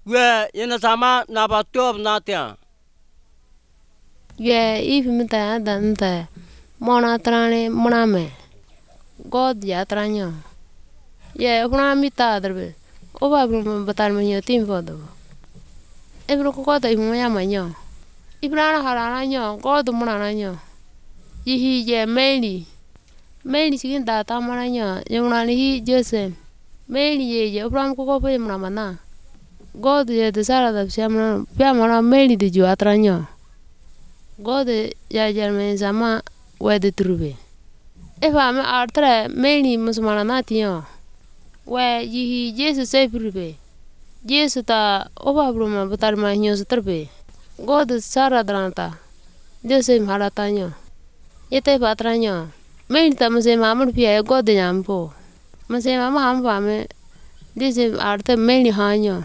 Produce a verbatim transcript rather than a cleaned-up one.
we ina sama na ba top na tia ye if mita dante mona trane mona me god ya tranyo ye kuna mita derbe o ba brum batar me yo tim fodo e bro ko ko ta imu ya manyo ibrana harana nyo god mona na nyo yihi ye meli meli sigin da ta mona nyo yuna ni hi jose meli ye ye bram ko ko pe mona mana god ye de sara da siamna pia mona meli de ju atranyo god ya jarme sama we de trube e fa me artre meli musmana na tiyo we yihi jesu se prube jesu ta oba bruma batar ma nyo strbe god sara dranta jose mharata nyo yete patranyo meli ta muse mamur pia god nyampo muse mama ham fa me jese arte meli hanyo